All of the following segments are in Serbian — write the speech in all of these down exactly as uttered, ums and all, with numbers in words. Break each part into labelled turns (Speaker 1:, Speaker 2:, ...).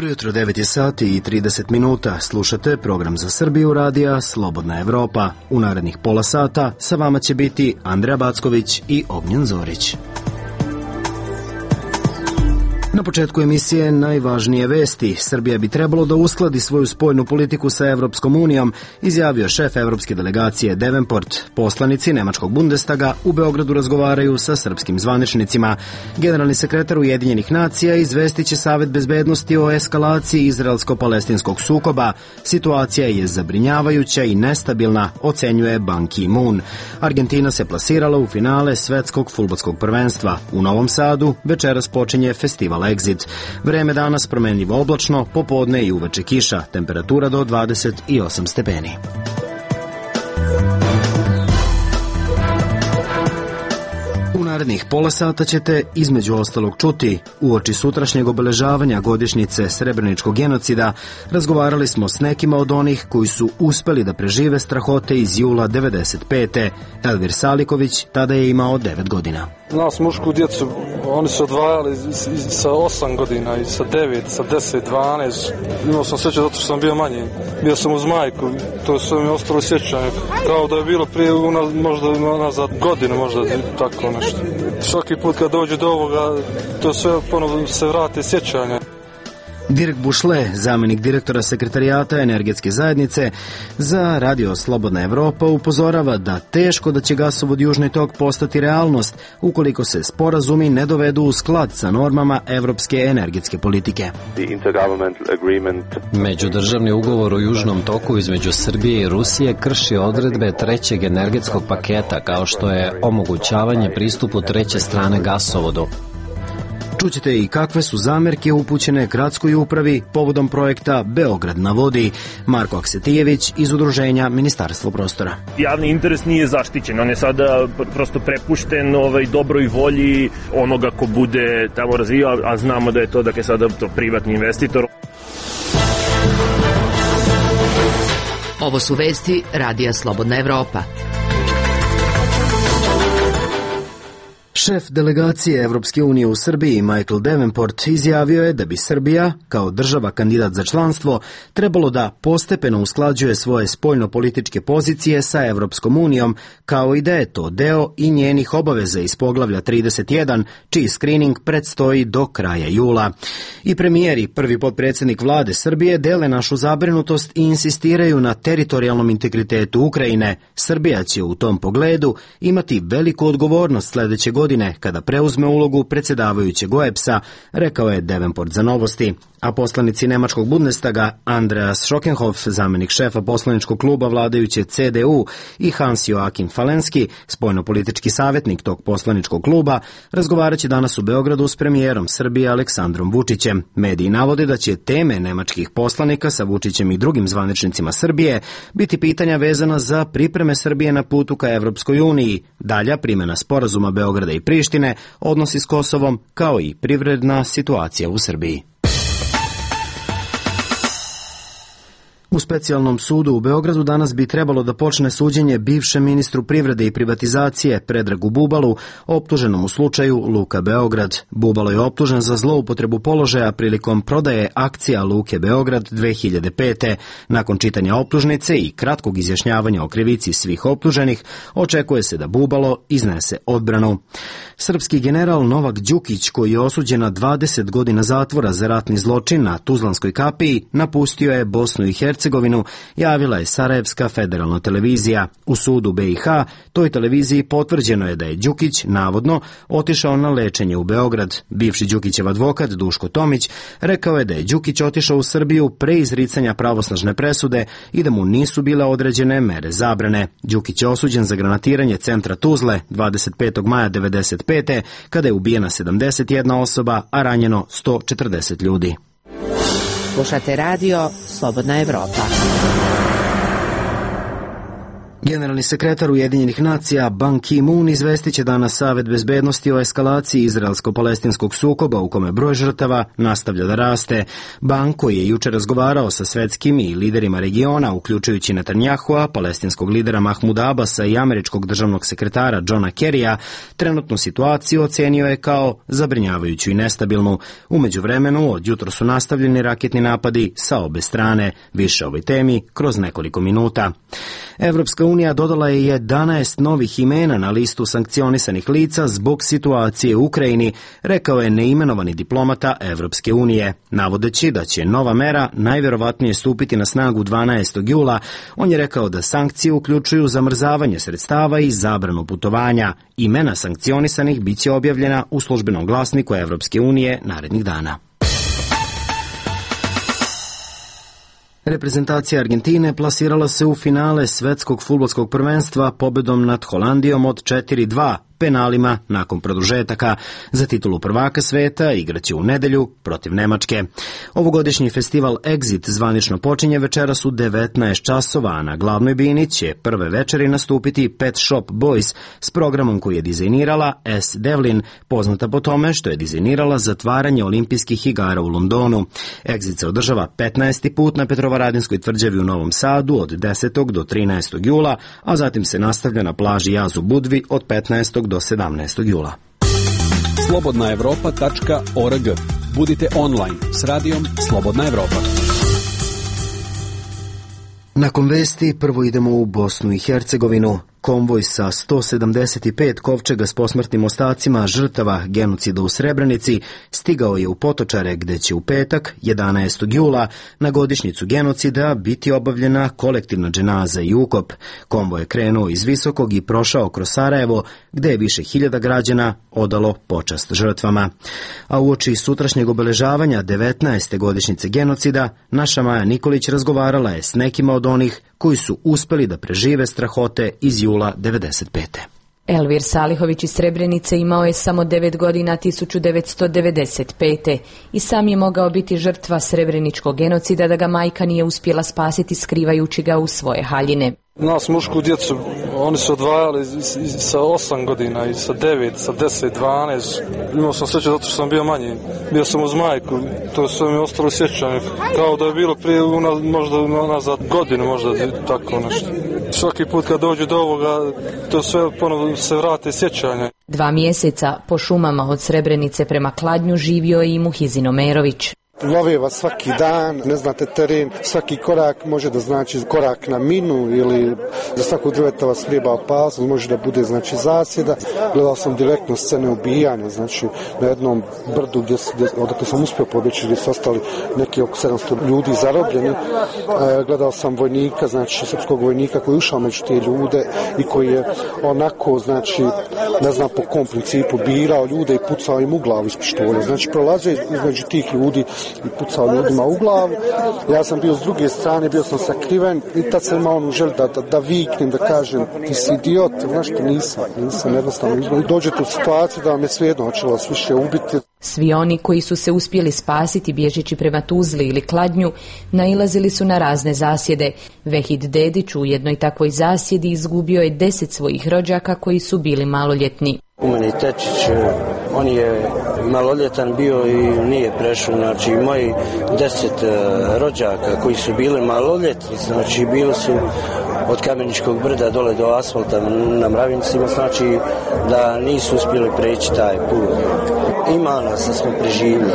Speaker 1: Jutro devet je sati i trideset minuta. Slušate program za Srbiju radija Slobodna Evropa. U narednih pola sata sa vama će biti Andreja Backović i Ognjen Zorić. Na početku emisije najvažnije vesti. Srbija bi trebalo da uskladi svoju spoljnu politiku sa Evropskom unijom, izjavio šef evropske delegacije Davenport. Poslanici Nemačkog Bundestaga u Beogradu razgovaraju sa srpskim zvaničnicima. Generalni sekretar Ujedinjenih nacija izvestiće Savet bezbednosti o eskalaciji izraelsko-palestinskog sukoba. Situacija je zabrinjavajuća i nestabilna, ocenjuje Ban Ki-moon. Argentina se plasirala u finale svetskog fudbalskog prvenstva. U Novom Sadu večeras počinje festival Exit. Vreme danas promenljivo oblačno, popodne i uveče kiša, temperatura do dvadeset osam stepeni. U narednih pola sata ćete između ostalog čuti: uoči sutrašnjeg obeležavanja godišnjice Srebreničkog genocida razgovarali smo s nekima od onih koji su uspeli da prežive strahote iz jula devedeset pete. Elvir Saliković tada je imao devet godina.
Speaker 2: Nas mušku djecu, oni su odvajali sa osam godina i sa devet, sa deset, dvanaest. Imao sam sreće zato što sam bio manji. Bio sam uz majku, to su mi ostalo sjećanje. Kao da je bilo prije možda nazad godinu, možda tako nešto. Svaki put kad dođe do ovoga, to sve ponovno se vrate sjećanje.
Speaker 1: Dirk Bušle, zamenik direktora sekretarijata energetske zajednice za radio Slobodna Evropa, upozorava da teško da će gasovod Južni tok postati realnost ukoliko se sporazumi ne dovedu u sklad sa normama evropske energetske politike.
Speaker 3: Međudržavni ugovor o Južnom toku između Srbije i Rusije krši odredbe trećeg energetskog paketa, kao što je omogućavanje pristupu treće strane gasovodu.
Speaker 1: Čućete i kakve su zamerke upućene gradskoj upravi povodom projekta Beograd na vodi. Marko Aksetijević iz udruženja Ministarstvo prostora.
Speaker 4: Javni interes nije zaštićen, on je sada prosto prepušten ovaj dobroj volji onoga ko bude tamo razvijao, a znamo da je to dakle sada to privatni investitor.
Speaker 5: Ovo su vesti radija Slobodna Evropa.
Speaker 1: Šef delegacije Evropske unije u Srbiji, Michael Davenport, izjavio je da bi Srbija, kao država kandidat za članstvo, trebalo da postepeno usklađuje svoje spoljno-političke pozicije sa Evropskom unijom, kao i da je to deo i njenih obaveza iz poglavlja trideset jedan, čiji skrining predstoji do kraja jula. I premijer i prvi potpredsjednik vlade Srbije dele našu zabrinutost i insistiraju na teritorijalnom integritetu Ukrajine. Srbija će u tom pogledu imati veliku odgovornost sledeće godine kada preuzme ulogu predsjedavajućeg O E B S-a, rekao je Davenport za Novosti. A poslanici Nemačkog Bundestaga Andreas Schockenhoff, zamenik šefa poslaničkog kluba vladajuće C D U, i Hans Joachim Falenski, spoljnopolitički savjetnik tog poslaničkog kluba, razgovarat će danas u Beogradu s premijerom Srbije Aleksandrom Vučićem. Mediji navode da će teme nemačkih poslanika sa Vučićem i drugim zvaničnicima Srbije biti pitanja vezana za pripreme Srbije na putu ka Evropskoj uniji, dalja primjena sporazuma Beograda i Prištine, odnosi s Kosovom, kao i privredna situacija u Srbiji. U specijalnom sudu u Beogradu danas bi trebalo da počne suđenje bivšem ministru privrede i privatizacije Predragu Bubalu, optuženom u slučaju Luka Beograd. Bubalo je optužen za zloupotrebu položaja prilikom prodaje akcija Luke Beograd dve hiljade pete. Nakon čitanja optužnice i kratkog izjašnjavanja o krivici svih optuženih, očekuje se da Bubalo iznese odbranu. Srpski general Novak Đukić, koji je osuđen na dvadeset godina zatvora za ratni zločin na Tuzlanskoj kapiji, napustio je Bosnu i Hercegovinu, javila je Sarajevska federalna televizija. U sudu B i H toj televiziji potvrđeno je da je Đukić navodno otišao na lečenje u Beograd. Bivši Đukićev advokat Duško Tomić rekao je da je Đukić otišao u Srbiju pre izricanja pravosnažne presude i da mu nisu bile određene mere zabrane. Đukić je osuđen za granatiranje centra Tuzle dvadeset petog maja devedeset pete kada je ubijena sedamdeset jedna osoba, a ranjeno sto četrdeset ljudi.
Speaker 5: Slušate radio Slobodna Evropa.
Speaker 1: Generalni sekretar Ujedinjenih nacija Ban Ki-moon izvestit će danas Savet bezbednosti o eskalaciji izraelsko-palestinskog sukoba u kome broj žrtava nastavlja da raste. Ban, koji je juče razgovarao sa svetskim i liderima regiona, uključujući Netanjahua, palestinskog lidera Mahmuda Abasa i američkog državnog sekretara Johna Kerrya, trenutnu situaciju ocenio je kao zabrinjavajuću i nestabilnu. U međuvremenu od jutro su nastavljeni raketni napadi sa obe strane. Više o ovoj temi kroz nekoliko minuta. Evropska unija dodala je jedanaest novih imena na listu sankcionisanih lica zbog situacije u Ukrajini, rekao je neimenovani diplomata Evropske unije. Navodeći da će nova mera najverovatnije stupiti na snagu dvanaestog jula, on je rekao da sankcije uključuju zamrzavanje sredstava i zabranu putovanja. Imena sankcionisanih biće objavljena u službenom glasniku Evropske unije narednih dana. Reprezentacija Argentine plasirala se u finale svetskog fudbalskog prvenstva pobedom nad Holandijom od četiri dva penalima nakon produžetaka. Za titulu prvaka sveta igraće u nedelju protiv Nemačke. Ovogodišnji festival Exit zvanično počinje večeras u devetnaest časova, a na glavnoj bini će prve večeri nastupiti Pet Shop Boys s programom koji je dizajnirala S. Devlin, poznata po tome što je dizajnirala zatvaranje olimpijskih igara u Londonu. Exit se održava petnaesti put na Petrovaradinskoj tvrđavi u Novom Sadu od desetog do trinaestog jula, a zatim se nastavlja na plaži Jaz u Budvi od petnaestog do sedamnaestog jula.
Speaker 6: slobodna evropa tačka org. Budite online s radijom Slobodna Evropa.
Speaker 1: Nakon vesti prvo idemo u Bosnu i Hercegovinu. Konvoj sa sto sedamdeset pet kovčega s posmrtnim ostacima žrtava genocida u Srebrenici stigao je u Potočare, gde će u petak, jedanaestog jula, na godišnjicu genocida biti obavljena kolektivna dženaza i ukop. Konvoj je krenuo iz Visokog i prošao kroz Sarajevo, gde je više hiljada građana odalo počast žrtvama. A uoči sutrašnjeg obeležavanja devetnaeste godišnjice genocida, naša Maja Nikolić razgovarala je s nekima od onih koji su uspeli da prežive strahote iz jula devedeset pete.
Speaker 7: Elvir Salihović iz Srebrenice imao je samo devet godina tisuću devetsto devedeset pete i sam je mogao biti žrtva srebreničkog genocida da ga majka nije uspjela spasiti skrivajući ga u svoje haljine.
Speaker 2: Nas mušku djecu, oni su odvajali sa osam godina i sa devet, sa deset, dvanaest. Imao sam sreće zato što sam bio manji. Bio sam uz majku, to sve mi je ostalo sjećanje. Kao da je bilo prije možda nazad godinu, možda tako nešto. Svaki put kad dođu do ovoga, to sve ponovno se vrate sjećanje.
Speaker 7: Dva mjeseca po šumama od Srebrenice prema Kladnju živio je i Muhizin Omerović.
Speaker 8: Love vas svaki dan, ne znate teren, svaki korak može da znači korak na minu ili za svakog drveta vas vrijeba opasnost, može da bude znači zasjeda. Gledao sam direktno scene ubijanja, znači na jednom brdu gdje, gdje odakle sam uspio pobjeći, gdje su ostali neki oko sedamsto ljudi zarobljeni. E, gledao sam vojnika, znači srpskog vojnika koji je ušao među te ljude i koji je onako, znači, ne znam po kom principu, birao ljude i pucao im u glavu iz pištolja. Znači prolazio između tih ljudi i pucao ljudima u glavu. Ja sam bio s druge strane, bio sam sakriven i tad sam imao onu želju da, da, da viknem, da kažem ti si idiot, znaš što nisam, nisam jednostavno. I dođete u situaciju da vam je svejedno hoćelo vas više ubiti.
Speaker 7: Svi oni koji su se uspjeli spasiti bježeći prema Tuzli ili Kladnju nailazili su na razne zasjede. Vehid Dedić u jednoj takvoj zasjedi izgubio je deset svojih rođaka koji su bili maloljetni.
Speaker 9: Umeni Tečić, on je maloljetan bio i nije prešao, znači moji deset rođaka koji su bili maloljetni, znači bili su od Kameničkog brda dole do asfalta na Mravincima, znači da nisu uspjeli preći taj put. Ima nas da smo preživjeli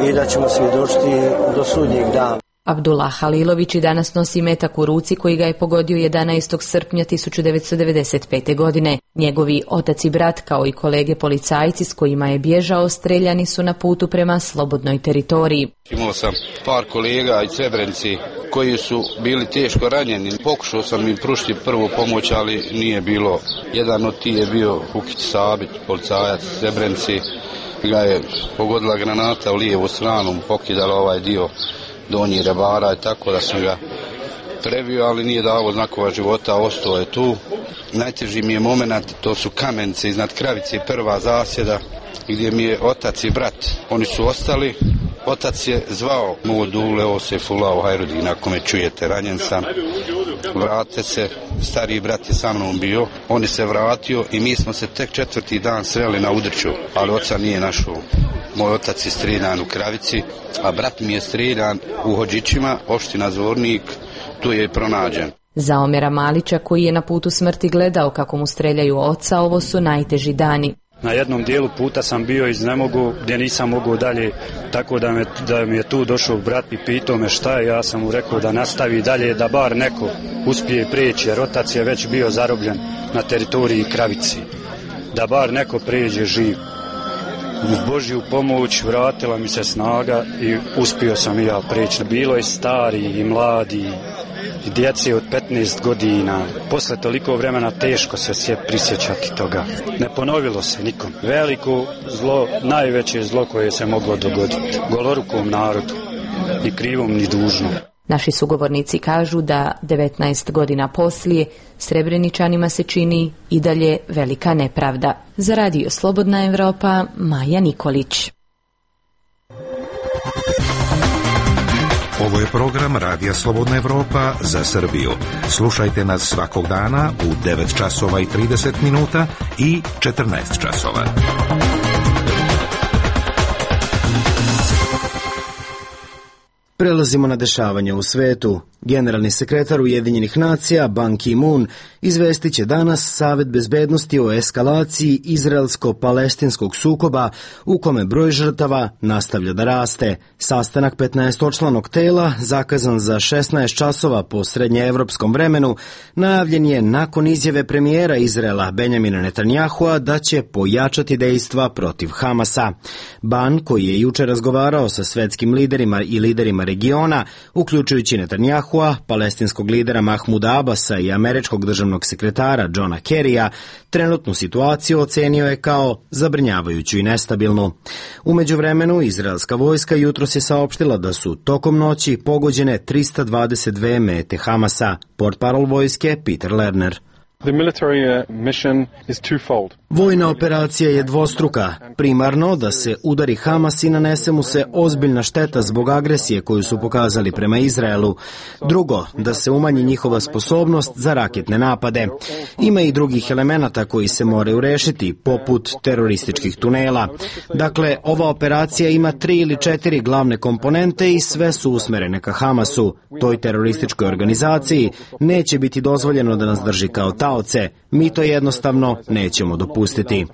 Speaker 9: i da ćemo svjedočiti do sudnjeg dana.
Speaker 7: Abdullah Halilović i danas nosi metak u ruci koji ga je pogodio jedanaestog srpnja tisuću devetsto devedeset pete. godine. Njegovi otac i brat kao i kolege policajci s kojima je bježao streljani su na putu prema slobodnoj teritoriji.
Speaker 10: Imao sam par kolega iz Srebrenice koji su bili teško ranjeni. Pokušao sam im pružiti prvu pomoć, ali nije bilo. Jedan od tih je bio Hukić Sabić, policajac iz Srebrenice. Ga je pogodila granata u lijevu stranu, pokidala ovaj dio donji rebara i tako da sam ga prebio, ali nije dao znakova života, ostao je tu. Najteži mi je moment, to su Kamenice iznad Kravice, prva zasjeda, gdje mi je otac i brat. Oni su ostali Otac je zvao Muodule Osefulao Hajrudina, ako me čujete, ranjen sam. Vrate se, stariji brat je sa mnom bio, on je se vratio i mi smo se tek četvrti dan sreli na Udrću, ali oca nije našao. Moj otac je streljan u Kravici, a brat mi je streljan u Hodžićima, opština Zvornik, tu je i pronađen.
Speaker 7: Za Omera Malića, koji je na putu smrti gledao kako mu streljaju oca, ovo su najteži dani.
Speaker 11: Na jednom dijelu puta sam bio iz Nemogu gdje nisam mogao dalje, tako da, me, da mi je tu došao brat i pitao me šta je, ja sam mu rekao da nastavi dalje, da bar neko uspije prijeći, jer otac je već bio zarobljen na teritoriji Kravici, da bar neko prijeđe živ. Uz Božju pomoć vratila mi se snaga i uspio sam i ja prijeći. Bilo je stari i mladi i djece od petnaest godina. Posle toliko vremena teško se sve prisjećati toga. Ne ponovilo se nikom. Veliko zlo, najveće zlo koje se moglo dogoditi golorukom narodu, ni krivom ni dužnom.
Speaker 7: Naši sugovornici kažu da devetnaest godina poslije Srebreničanima se čini i dalje velika nepravda. Za Radio Slobodna Evropa, Maja Nikolić.
Speaker 12: Ovo je program Radija Slobodna Evropa za Srbiju. Slušajte nas svakog dana u devet časova i trideset minuta i četrnaest časova.
Speaker 1: Prelazimo na dešavanje u svetu. Generalni sekretar Ujedinjenih nacija Ban Ki-moon izvestit će danas Savet bezbednosti o eskalaciji izraelsko-palestinskog sukoba u kome broj žrtava nastavlja da raste. Sastanak petnaestočlanog tela, zakazan za šesnaest časova po srednjeevropskom vremenu, najavljen je nakon izjave premijera Izraela Benjamina Netanyahua da će pojačati dejstva protiv Hamasa. Ban, koji je juče razgovarao sa svetskim liderima i liderima regiona, uključujući Netanyahua, palestinskog lidera Mahmuda Abasa i američkog državnog sekretara Johna Kerrya, trenutnu situaciju ocenio je kao zabrinjavajuću i nestabilnu. U međuvremenu, izraelska vojska jutros je saopštila da su tokom noći pogođene trista dvadeset dve mete Hamasa. Portparol vojske Peter Lerner.
Speaker 13: The military mission is twofold.
Speaker 1: Vojna operacija je dvostruka. Primarno da se udari Hamas i nanese mu se ozbiljna šteta zbog agresije koju su pokazali prema Izraelu. Drugo, da se umanji njihova sposobnost za raketne napade. Ima i drugih elemenata koji se moraju rešiti, poput terorističkih tunela. Dakle, ova operacija ima tri ili četiri glavne komponente i sve su usmerene ka Hamasu. Toj terorističkoj organizaciji neće biti dozvoljeno da nas drži kao taoce. Mi to jednostavno nećemo dopustiti.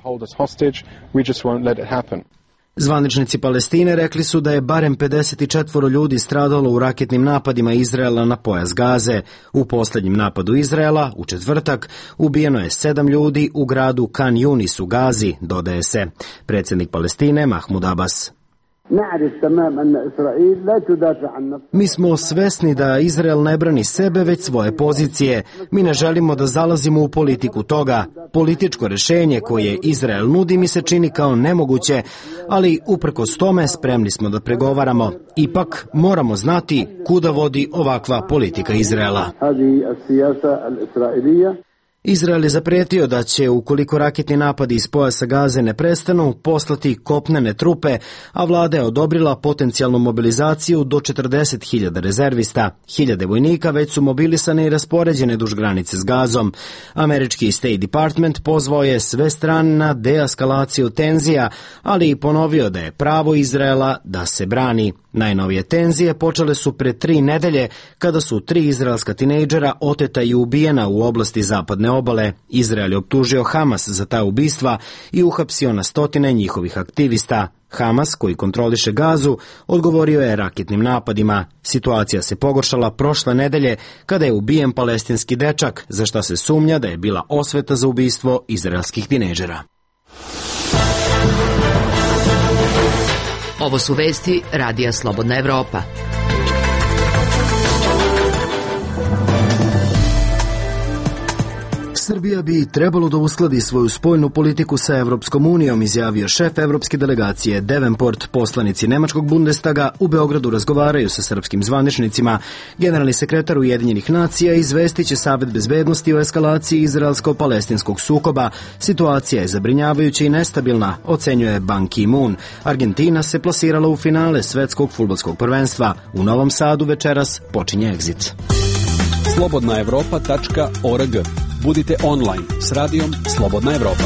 Speaker 1: Zvaničnici Palestine rekli su da je barem pedeset četiri ljudi stradalo u raketnim napadima Izraela na pojas Gaze. U posljednjem napadu Izraela, u četvrtak, ubijeno je sedam ljudi u gradu Kan Yunis u Gazi, dodaje se. Predsjednik Palestine Mahmud Abbas. Mi smo svesni da Izrael ne brani sebe, već svoje pozicije. Mi ne želimo da zalazimo u politiku toga. Političko rešenje koje Izrael nudi mi se čini kao nemoguće, ali uprkos tome spremni smo da pregovaramo. Ipak moramo znati kuda vodi ovakva politika Izraela. Izrael je zapretio da će, ukoliko raketni napadi iz pojasa Gaze ne prestanu, poslati kopnene trupe, a vlada je odobrila potencijalnu mobilizaciju do četrdeset hiljada rezervista. Hiljade vojnika već su mobilisane i raspoređene duž granice s Gazom. Američki State Department pozvao je sve strane na deeskalaciju tenzija, ali i ponovio da je pravo Izraela da se brani. Najnovije tenzije počele su pre tri nedelje, kada su tri izraelska tinejdžera oteta i ubijena u oblasti zapadne obale. Izrael je optužio Hamas za ta ubistva i uhapsio na stotine njihovih aktivista. Hamas, koji kontroliše Gazu, odgovorio je raketnim napadima. Situacija se pogoršala prošle nedelje kada je ubijen palestinski dečak, za šta se sumnja da je bila osveta za ubistvo izraelskih tinejdžera.
Speaker 5: Ovo su vesti Radija Slobodna Evropa.
Speaker 1: Srbija bi trebalo da uskladi svoju spoljnu politiku sa Evropskom unijom, izjavio šef evropske delegacije Davenport. Poslanici Nemačkog Bundestaga u Beogradu razgovaraju sa srpskim zvaničnicima. Generalni sekretar Ujedinjenih nacija izvestiće Savet bezbednosti o eskalaciji izraelsko-palestinskog sukoba. Situacija je zabrinjavajuća i nestabilna, ocenjuje Ban Ki-moon. Argentina se plasirala u finale svetskog fudbalskog prvenstva. U Novom Sadu večeras počinje egzit.
Speaker 6: slobodna evropa tačka org. Budite online s radijom Slobodna Evropa.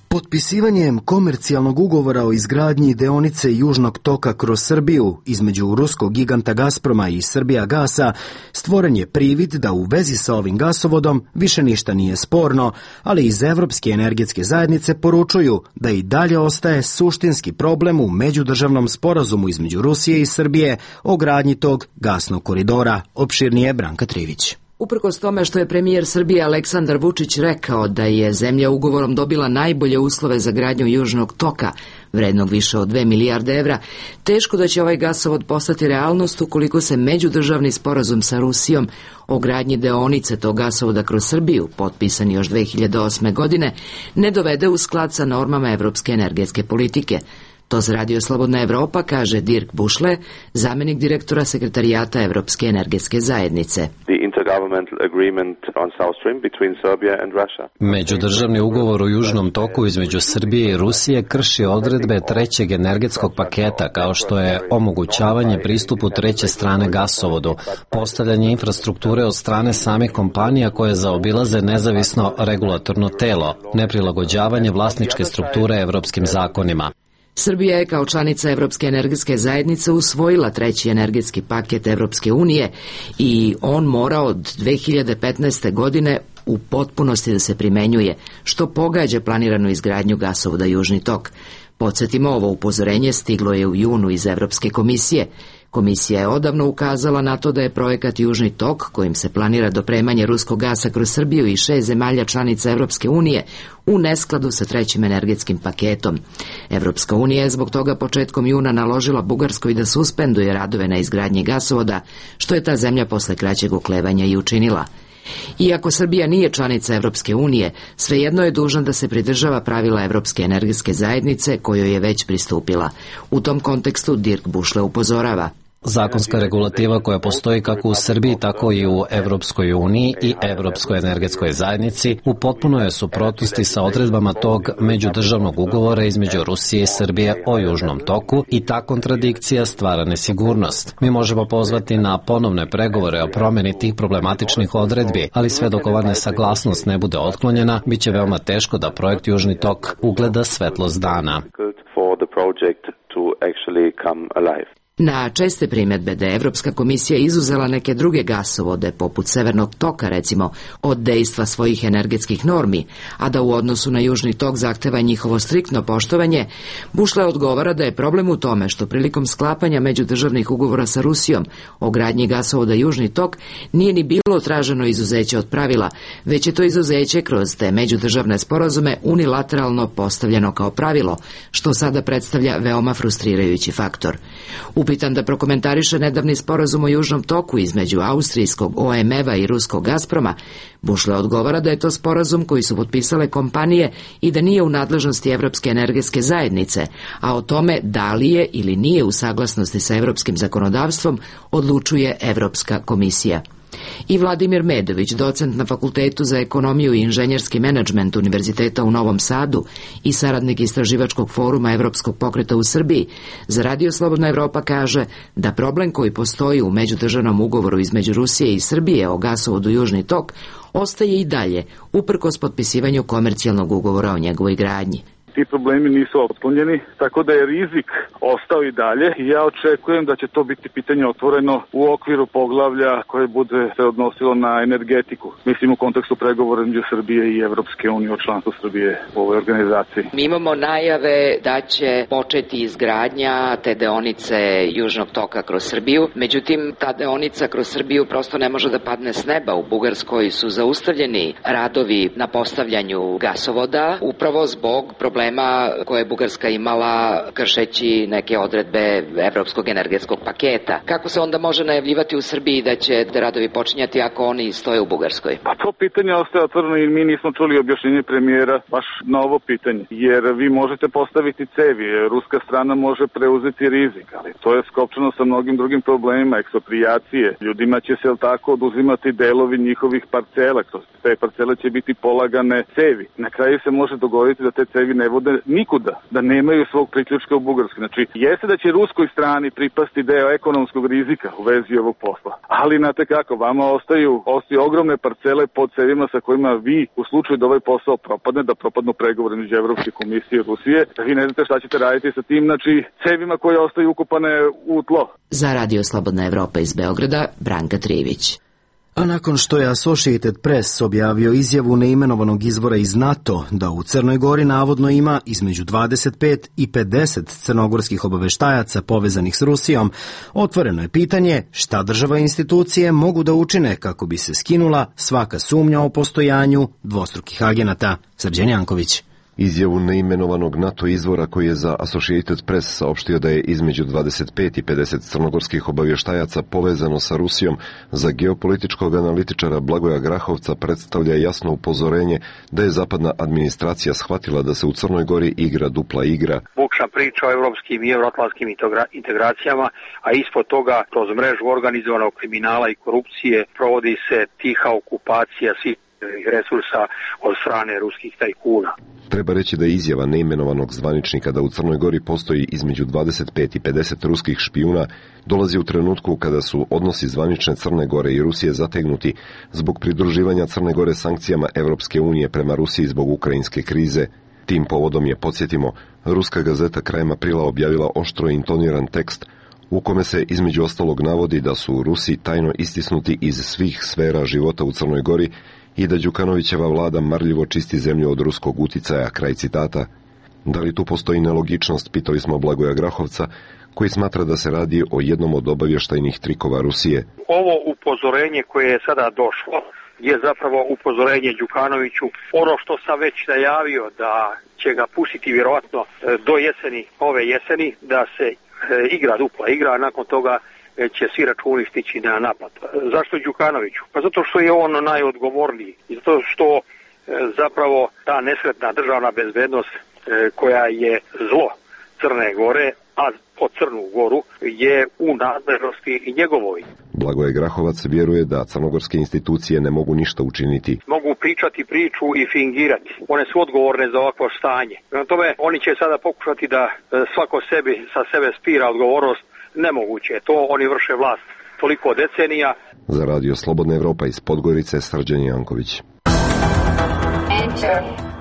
Speaker 1: Potpisivanjem komercijalnog ugovora o izgradnji deonice Južnog toka kroz Srbiju između ruskog giganta Gazproma i Srbijagasa stvoren je privid da u vezi sa ovim gasovodom više ništa nije sporno, ali iz Evropske energetske zajednice poručuju da i dalje ostaje suštinski problem u međudržavnom sporazumu između Rusije i Srbije o gradnji tog gasnog koridora. Opširnije Branka Trivić.
Speaker 5: Uprkos tome što je premijer Srbije Aleksandar Vučić rekao da je zemlja ugovorom dobila najbolje uslove za gradnju Južnog toka, vrednog više od dve milijarde evra, teško da će ovaj gasovod postati realnost ukoliko se međudržavni sporazum sa Rusijom o gradnji deonice tog gasovoda kroz Srbiju, potpisan još dve hiljade osme. godine, ne dovede u sklad sa normama evropske energetske politike. To za Radio Slobodna Evropa kaže Dirk Bušle, zamenik direktora sekretarijata Evropske energetske zajednice.
Speaker 3: Međudržavni ugovor o Južnom toku između Srbije i Rusije krši odredbe trećeg energetskog paketa, kao što je omogućavanje pristupu treće strane gasovodu, postavljanje infrastrukture od strane samih kompanija koje zaobilaze nezavisno regulatorno telo, neprilagođavanje vlasničke strukture evropskim zakonima.
Speaker 5: Srbija je kao članica Evropske energetske zajednice usvojila treći energetski paket Evropske unije i on mora od dve hiljade petnaeste. godine u potpunosti da se primenjuje, što pogađa planiranu izgradnju gasovoda Južni tok. Podsjetimo, ovo upozorenje stiglo je u junu iz Evropske komisije. Komisija je odavno ukazala na to da je projekat Južni tok, kojim se planira dopremanje ruskog gasa kroz Srbiju i šest zemalja članica Evropske unije, u neskladu sa trećim energetskim paketom. Evropska unija je zbog toga početkom juna naložila Bugarskoj da suspenduje radove na izgradnji gasovoda, što je ta zemlja posle kraćeg oklevanja i učinila. Iako Srbija nije članica Evropske unije, svejedno je dužna da se pridržava pravila Evropske energetske zajednice kojoj je već pristupila. U tom kontekstu Dirk Bušle upozorava.
Speaker 3: Zakonska regulativa koja postoji kako u Srbiji, tako i u Evropskoj uniji i Evropskoj energetskoj zajednici u potpunoj je suprotnosti sa odredbama tog međudržavnog ugovora između Rusije i Srbije o Južnom toku i ta kontradikcija stvara nesigurnost. Mi možemo pozvati na ponovne pregovore o promeni tih problematičnih odredbi, ali sve dok ova nesaglasnost ne bude otklonjena, bit će veoma teško da projekt Južni tok ugleda svetlost dana.
Speaker 5: Na česte primedbe da je Evropska komisija izuzela neke druge gasovode, poput Severnog toka recimo, od dejstva svojih energetskih normi, a da u odnosu na Južni tok zahteva njihovo striktno poštovanje, Bušle odgovara da je problem u tome što prilikom sklapanja međudržavnih ugovora sa Rusijom o gradnji gasovoda Južni tok nije ni bilo traženo izuzeće od pravila, već je to izuzeće kroz te međudržavne sporazume unilateralno postavljeno kao pravilo, što sada predstavlja veoma frustrirajući faktor. Upitan da prokomentariše nedavni sporazum o Južnom toku između austrijskog O M E-a i ruskog Gazproma, Bušle odgovara da je to sporazum koji su potpisale kompanije i da nije u nadležnosti Evropske energetske zajednice, a o tome da li je ili nije u saglasnosti sa evropskim zakonodavstvom odlučuje Evropska komisija. I Vladimir Medović, docent na Fakultetu za ekonomiju i inženjerski menadžment Univerziteta u Novom Sadu i saradnik istraživačkog foruma Evropskog pokreta u Srbiji, za Radio Slobodna Evropa kaže da problem koji postoji u međudržavnom ugovoru između Rusije i Srbije o gasovodu Južni tok ostaje i dalje, uprkos potpisivanju komercijalnog ugovora o njegovoj gradnji.
Speaker 14: Ti problemi nisu otklonjeni, tako da je rizik ostao i dalje i ja očekujem da će to biti pitanje otvoreno u okviru poglavlja koje bude se odnosilo na energetiku. Mislim u kontekstu pregovora između Srbije i Evropske unije o članstvu Srbije u ovoj organizaciji.
Speaker 5: Mi imamo najave da će početi izgradnja te deonice Južnog toka kroz Srbiju, međutim ta deonica kroz Srbiju prosto ne može da padne s neba. U Bugarskoj su zaustavljeni radovi na postavljanju gasovoda upravo zbog problema problema koje je Bugarska imala kršeći neke odredbe evropskog energetskog paketa. Kako se onda može najavljivati u Srbiji da će radovi počinjati ako oni stoje u Bugarskoj?
Speaker 14: Pa to pitanje ostaje otvoreno i mi nismo čuli objašnjenje premijera baš na ovo pitanje. Jer vi možete postaviti cevi, ruska strana može preuzeti rizik, ali to je skopčano sa mnogim drugim problemima, eksproprijacije. Ljudima će se tako oduzimati delovi njihovih parcela, kroz te parcele će biti polagane cevi. Na kraju se može dogoditi da te cevi ne vode nikuda, da nemaju svog priključka u Bugarskoj. Znači, jeste da će ruskoj strani pripasti deo ekonomskog rizika u vezi ovog posla. Ali, znate kako, vama ostaju, ostaju ogromne parcele pod cevima sa kojima vi, u slučaju da ovaj posao propadne, da propadnu pregovore među Evropske komisije i Rusije, da vi ne znate šta ćete raditi sa tim, znači, cevima koje ostaju ukopane u tlo.
Speaker 5: Za Radio Slobodna Evropa iz Beograda, Branka Trivić.
Speaker 1: A nakon što je Associated Press objavio izjavu neimenovanog izvora iz NATO da u Crnoj Gori navodno ima između dvadeset pet i pedeset crnogorskih obaveštajaca povezanih s Rusijom, otvoreno je pitanje šta država i institucije mogu da učine kako bi se skinula svaka sumnja o postojanju dvostrukih agenata. Srđan Janković.
Speaker 15: Izjavu neimenovanog NATO izvora koji je za Associated Press saopštio da je između dvadeset pet i pedeset crnogorskih obavještajaca povezano sa Rusijom za geopolitičkog analitičara Blagoja Grahovca predstavlja jasno upozorenje da je zapadna administracija shvatila da se u Crnoj Gori igra dupla igra.
Speaker 16: Bukša priča o evropskim i euroatlantskim integracijama, a ispod toga kroz mrežu organizovanog kriminala i korupcije provodi se tiha okupacija svih resursa od strane ruskih tajkuna.
Speaker 15: Treba reći da je izjava neimenovanog zvaničnika da u Crnoj Gori postoji između dvadeset pet i pedeset ruskih špijuna dolazi u trenutku kada su odnosi zvanične Crne Gore i Rusije zategnuti zbog pridruživanja Crne Gore sankcijama Evropske unije prema Rusiji zbog ukrajinske krize. Tim povodom je, podsjetimo, ruska gazeta krajem aprila objavila oštro intoniran tekst u kome se između ostalog navodi da su Rusi tajno istisnuti iz svih sfera života u Crnoj Gori i da Đukanovićeva vlada marljivo čisti zemlju od ruskog uticaja, kraj citata. Da li tu postoji nelogičnost, pitali smo Blagoja Grahovca, koji smatra da se radi o jednom od obavještajnih trikova Rusije.
Speaker 16: Ovo upozorenje koje je sada došlo je zapravo upozorenje Đukanoviću. Ono što sam već najavio da će ga pustiti vjerovatno do jeseni, ove jeseni, da se igra dupla igra, a nakon toga će svi računi stići na naplatu. Zašto Đukanoviću? Pa zato što je on najodgovorniji i zato što e, zapravo ta nesretna državna bezbednost e, koja je zlo Crne Gore, a po Crnu Goru je u nadležnosti i njegovoj.
Speaker 15: Blagoje Grahovac vjeruje da crnogorske institucije ne mogu ništa učiniti.
Speaker 16: Mogu pričati priču i fingirati. One su odgovorne za ovakvo stanje. Prema tome, oni će sada pokušati da svako sebi sa sebe spira odgovornost. Nemoguće, to oni vrše vlast toliko decenija.
Speaker 15: Za Radio Slobodna Evropa iz Podgorice, Srđan Janković.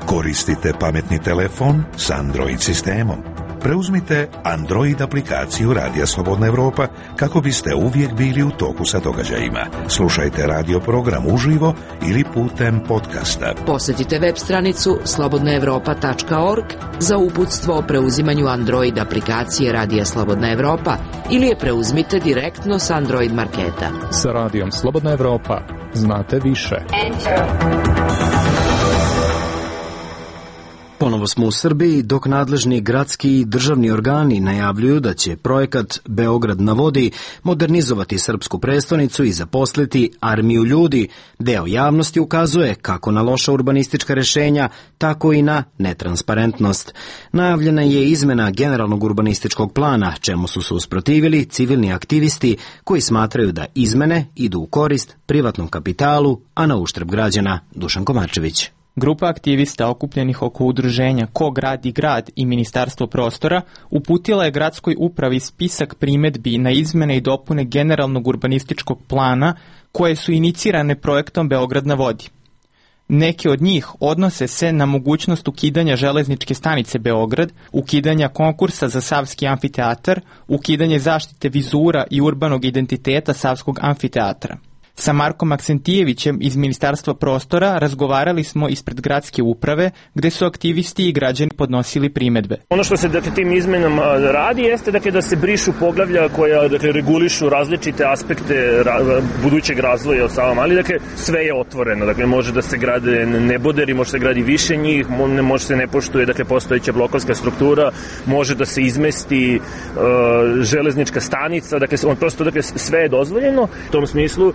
Speaker 12: Koristite pametni telefon s Android sistemom. Preuzmite Android aplikaciju Radija Slobodna Evropa kako biste uvijek bili u toku sa događajima. Slušajte radio program uživo ili putem podcasta.
Speaker 5: Posjetite web stranicu slobodna evropa tačka org za uputstvo o preuzimanju Android aplikacije Radija Slobodna Evropa ili je preuzmite direktno s Android marketa.
Speaker 17: Sa Radijom Slobodna Evropa znate više.
Speaker 1: Ponovo smo u Srbiji, dok nadležni gradski i državni organi najavljuju da će projekat Beograd na vodi modernizovati srpsku prestonicu i zaposliti armiju ljudi. Deo javnosti ukazuje kako na loša urbanistička rješenja, tako i na netransparentnost. Najavljena je izmena generalnog urbanističkog plana, čemu su se usprotivili civilni aktivisti koji smatraju da izmene idu u korist privatnom kapitalu, a na uštrb građana. Dušan Komarčević.
Speaker 18: Grupa aktivista okupljenih oko udruženja Ko gradi grad i Ministarstvo prostora uputila je gradskoj upravi spisak primedbi na izmene i dopune generalnog urbanističkog plana koje su inicirane projektom Beograd na vodi. Neke od njih odnose se na mogućnost ukidanja železničke stanice Beograd, ukidanja konkursa za Savski amfiteatar, ukidanje zaštite vizura i urbanog identiteta Savskog amfiteatra. Sa Markom Aksentijevićem iz Ministarstva prostora razgovarali smo ispred gradske uprave, gde su aktivisti i građani podnosili primedbe.
Speaker 4: Ono što se dakle, tim izmenama radi jeste dakle, da se brišu poglavlja koja dakle, regulišu različite aspekte ra, budućeg razvoja od Sava Mali. Dakle, sve je otvoreno. Dakle, može da se grade neboderi, može se gradi više njih, može se ne poštuje dakle, postojeća blokovska struktura, može da se izmesti uh, železnička stanica. Dakle, on prosto dakle, sve je dozvoljeno. U tom smislu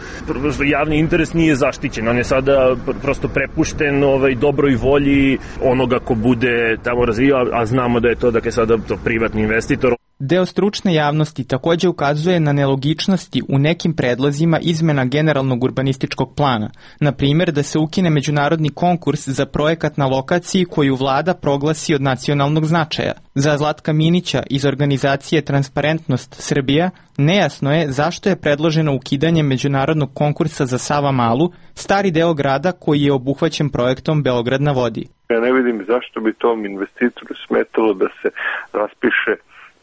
Speaker 4: javni interes nije zaštićen, on je sada prosto prepušten ovaj, dobroj volji onoga ko bude tamo razvijao, a znamo da je to dakle, sada to privatni investitor.
Speaker 18: Deo stručne javnosti takođe ukazuje na nelogičnosti u nekim predlozima izmena generalnog urbanističkog plana, na primjer da se ukine međunarodni konkurs za projekat na lokaciji koju vlada proglasi od nacionalnog značaja. Za Zlatka Minića iz organizacije Transparentnost Srbija nejasno je zašto je predloženo ukidanje međunarodnog konkursa za Savamalu, stari deo grada koji je obuhvaćen projektom Beograd na vodi.
Speaker 19: Ja ne vidim zašto bi tom investitoru smetalo da se raspiše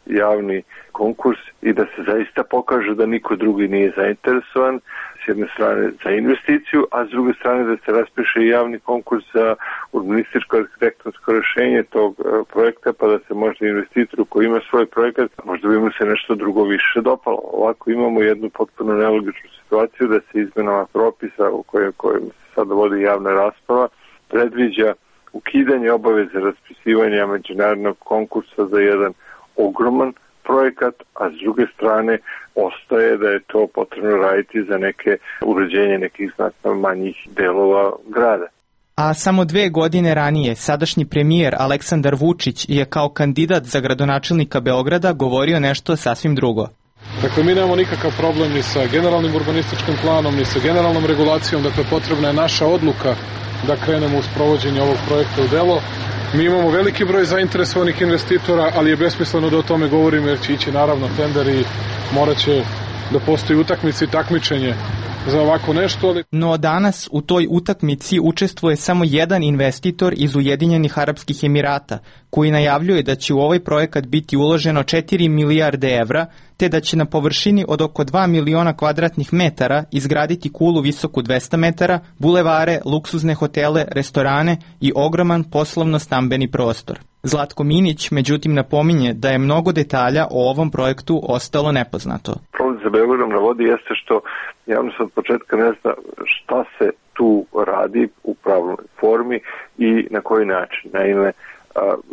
Speaker 19: javni konkurs i da se zaista pokaže da niko drugi nije zainteresovan, s jedne strane za investiciju, a s druge strane da se raspiše javni konkurs za urbanističko arhitektonsko rešenje tog projekta, pa da se možda investitoru koji ima svoj projekat, možda bi mu se nešto drugo više dopalo. Ovako imamo jednu potpuno nelogičnu situaciju da se izmenama propisa u kojem, kojem se sada vodi javna rasprava predviđa ukidanje obaveze raspisivanja međunarodnog konkursa za jedan ogroman projekat, a s druge strane ostaje da je to potrebno raditi za neke uređenje nekih znatno manjih delova grada.
Speaker 18: A samo dve godine ranije sadašnji premijer Aleksandar Vučić je kao kandidat za gradonačelnika Beograda govorio nešto sasvim drugo.
Speaker 13: Dakle, mi nemamo nikakav problem ni sa generalnim urbanističkim planom, ni sa generalnom regulacijom, dakle potrebna je naša odluka da krenemo u sprovođenje ovog projekta u delo. Mi imamo veliki broj zainteresovanih investitora, ali je besmisleno da o tome govorimo jer će ići naravno tender i morat će da postoji utakmica i takmičenje za ovako nešto. Ali...
Speaker 18: No danas u toj utakmici učestvuje samo jedan investitor iz Ujedinjenih Arapskih Emirata, koji najavljuje da će u ovaj projekat biti uloženo četiri milijarde evra, te da će na površini od oko dva miliona kvadratnih metara izgraditi kulu visoku dvesta metara, bulevare, luksuzne hotele, restorane i ogroman poslovno-stambeni prostor. Zlatko Minić, međutim, napominje da je mnogo detalja o ovom projektu ostalo nepoznato.
Speaker 19: Problem za Beogradom na vodi jeste što javnost od početka ne zna šta se tu radi u pravnoj formi i na koji način. Naime,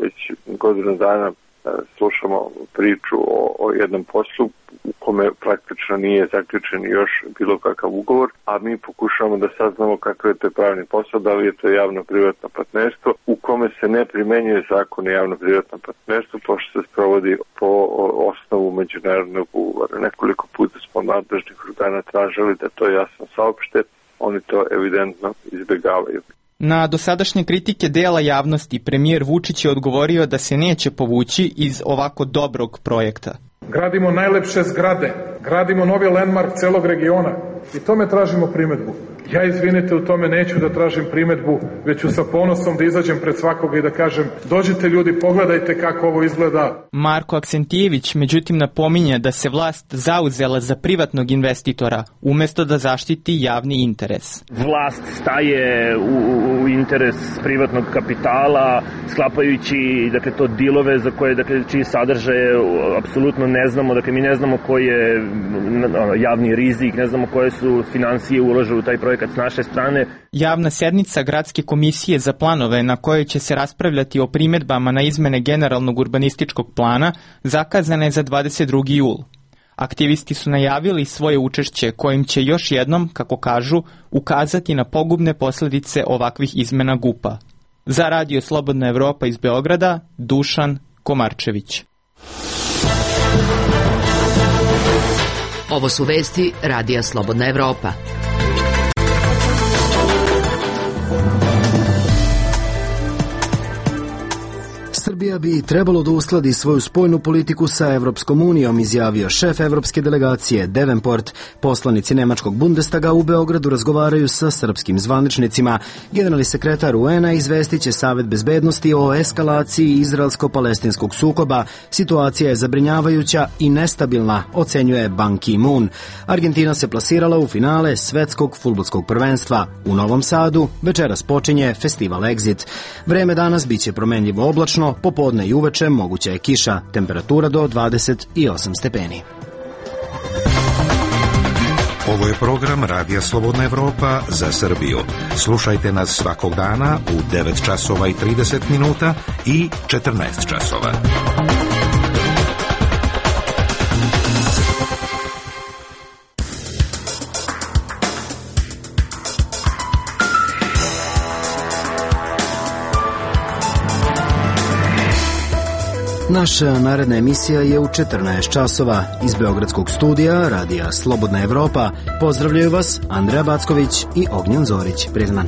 Speaker 19: već godinu dana slušamo priču o, o jednom poslu u kome praktično nije zaključen još bilo kakav ugovor, a mi pokušavamo da saznamo kakav je to pravni posao, da li je to javno-privatno partnerstvo u kome se ne primenjuje zakon o javno-privatnom partnerstvu, pošto se sprovodi po osnovu međunarodnog ugovora. Nekoliko puta smo nadležnih organa tražili da to jasno saopšte, oni to evidentno izbjegavaju.
Speaker 18: Na dosadašnje kritike dela javnosti premijer Vučić je odgovorio da se neće povući iz ovako dobrog projekta.
Speaker 13: Gradimo najlepše zgrade, gradimo novi landmark celog regiona i tome tražimo primedbu. Ja, izvinite, u tome neću da tražim primedbu, već ću sa ponosom da izađem pred svakoga i da kažem dođite ljudi, pogledajte kako ovo izgleda.
Speaker 18: Marko Aksentijević međutim napominje da se vlast zauzela za privatnog investitora umesto da zaštiti javni interes.
Speaker 4: Vlast staje u, u interes privatnog kapitala, sklapajući dakle, to dilove za koje, dakle, čiji sadržaje apsolutno ne znamo, dakle mi ne znamo koji je javni rizik, ne znamo koje su financije ulože u taj projekat s naše strane.
Speaker 18: Javna sednica Gradske komisije za planove na kojoj će se raspravljati o primedbama na izmene generalnog urbanističkog plana zakazana je za dvadeset drugi jul. Aktivisti su najavili svoje učešće kojim će još jednom, kako kažu, ukazati na pogubne posledice ovakvih izmena G U P-a. Za Radio Slobodna Evropa iz Beograda, Dušan Komarčević.
Speaker 5: Ovo su vesti Radija Slobodna Evropa.
Speaker 1: Srbija bi trebalo da uskladi svoju spoljnu politiku sa Evropskom unijom, izjavio šef evropske delegacije Davenport. Poslanici nemačkog Bundestaga u Beogradu razgovaraju sa srpskim zvaničnicima. Generalni sekretar U N-a izvestit će Savet bezbednosti o eskalaciji izraelsko-palestinskog sukoba. Situacija je zabrinjavajuća i nestabilna, ocenjuje Ban Ki-moon. Argentina se plasirala u finale svetskog fudbalskog prvenstva. U Novom Sadu večeras počinje festival Exit. Vreme danas biće promenljivo oblačno, popodne i uveče moguća je kiša, temperatura do dvadeset osam stepeni.
Speaker 12: Ovo je program Radija Slobodna Evropa za Srbiju. Slušajte nas svakog dana u devet časova i trideset minuta i četrnaest časova.
Speaker 1: Naša naredna emisija je u četrnaest časova. Iz Beogradskog studija Radija Slobodna Evropa pozdravljaju vas Andreja Backović i Ognjen Zorić. Prijatno.